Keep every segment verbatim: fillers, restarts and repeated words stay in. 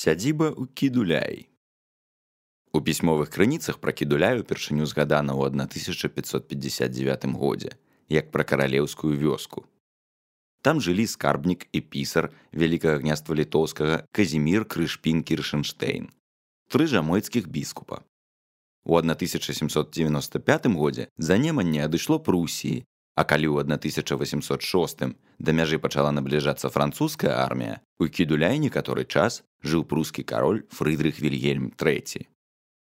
Сядзіба ў Кідуляі. У пісьмовых крыніцах пра Кідуляй упершыню згадана ў тысяча пятьсот пятьдесят девятым годзе, як пра каралеўскую вёску. Там жылі скарбнік і пісар Вялікага княства літоўскага Казімір Крышпін-Кіршэнштейн, тры жамойцкіх біскупа. У тысяча сямсот дзевяноста пятым годзе занеманне адышло Прусіі, а калі ў тысяча восемьсот шостым да мяжы пачала набліжацца французская армія, у Кідуляі некаторы час жыў прускі кароль Фрыдрых Вільгельм трэці.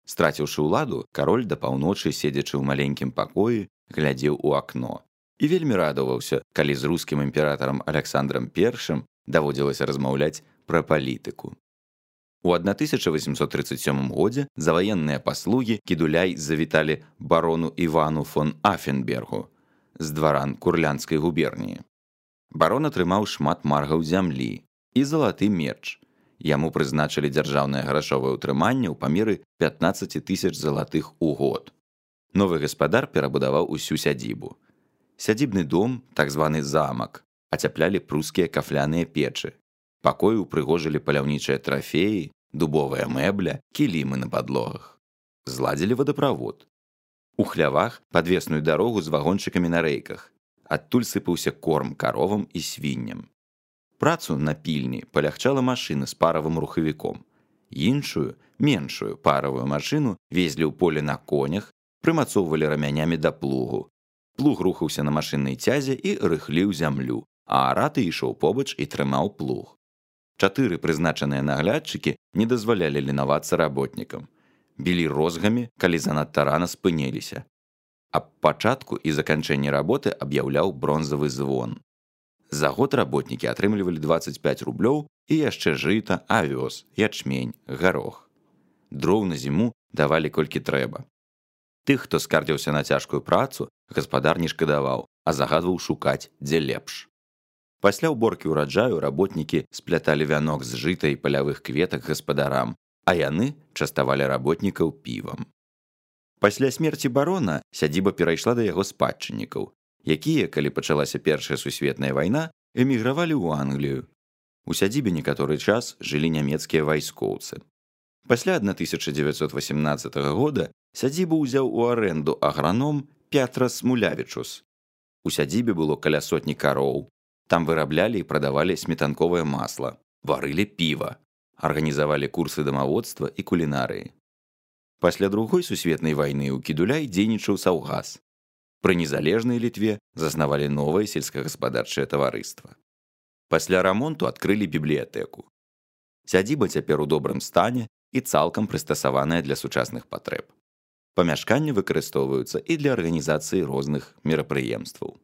Страціўшы ўладу, кароль да паўночы, седзячы ў маленькім пакоі, глядзеў у акно і вельмі радаваўся, калі з рускім імператарам Аляксандрам першым даводзілася размаўляць пра палітыку. У тысяча восемьсот тридцать сёмым годзе за ваенныя паслугі Кідуляй завіталі барону Івану фон Афенбергу з дваран Курлянскай губерніі. Барон атрымаў шмат маргаў зямлі і залаты меч. Яму прызначылі дзяржаўнае грашовае ўтрыманне ў памеры пятнаццаць тысяч залатых у год. Новы гаспадар перабудаваў усю сядзібу. Сядзібны дом, так званы замак, ацяплялі прускія кафляныя печы. Пакоі ўпрыгожылі паляўнічыя трафеі, дубовая мэбля, кілімы на падлогах. Зладзілі вадаправод. У хлявах падвесную дарогу з вагончыкамі на рэйках. Адтуль сыпаўся корм каровам і свінням. Працу на пільні палягчала машына з паравым рухавіком. Іншую, меншую паравую машыну везлі ў поле на конях, прымацоўвалі рамянямі да плугу. Плуг рухаўся на машыннай цязе і рыхліў зямлю, а араты ішоў побач і трымаў плуг. Чатыры прызначаныя наглядчыкі не дазвалялі ленавацца работнікам. Білі розгамі, калі занадта рана спыніліся. Аб пачатку і заканчэнні работы аб'яўляў бронзавы звон. За год работнікі атрымлівалі дваццаць пяць рублёў і яшчэ жыта, авёс, ячмень, гарох. Дроў на зіму давалі колькі трэба. Тых, хто скардзіўся на цяжкую працу, гаспадар не шкадаваў, а загадваў шукаць, дзе лепш. Пасля ўборкі ўраджаю работнікі спляталі вянок з жыта і палявых кветак гаспадарам, а яны частавалі работнікаў півам. Пасля смерці барона сядзіба перайшла да яго спадчыннікаў, якія, калі пачалася Першая сусветная вайна, эмігравалі ў Англію. У сядзібе некаторы час жылі нямецкія вайскоўцы. Пасля тысяча дзевяцьсот восемнаццатага года сядзібу ўзяў у арэнду аграном Пятрас Мулявічус. У сядзібе было каля сотні кароў. Там выраблялі і прадавалі сметанковае масла, варылі піва, арганізавалі курсы дамаводства і кулінарыі. Пасля Другой сусветнай вайны ў Кідуляй дзейнічаў саўгас. Пры незалежнай Літве заснавалі новае сельскагаспадарчае таварыства. Пасля рамонту адкрылі бібліятэку. Сядзіба цяпер у добрым стане і цалкам прыстасаваная для сучасных патрэб. Памяшканні выкарыстоўваюцца і для арганізацыі розных мерапрыемстваў.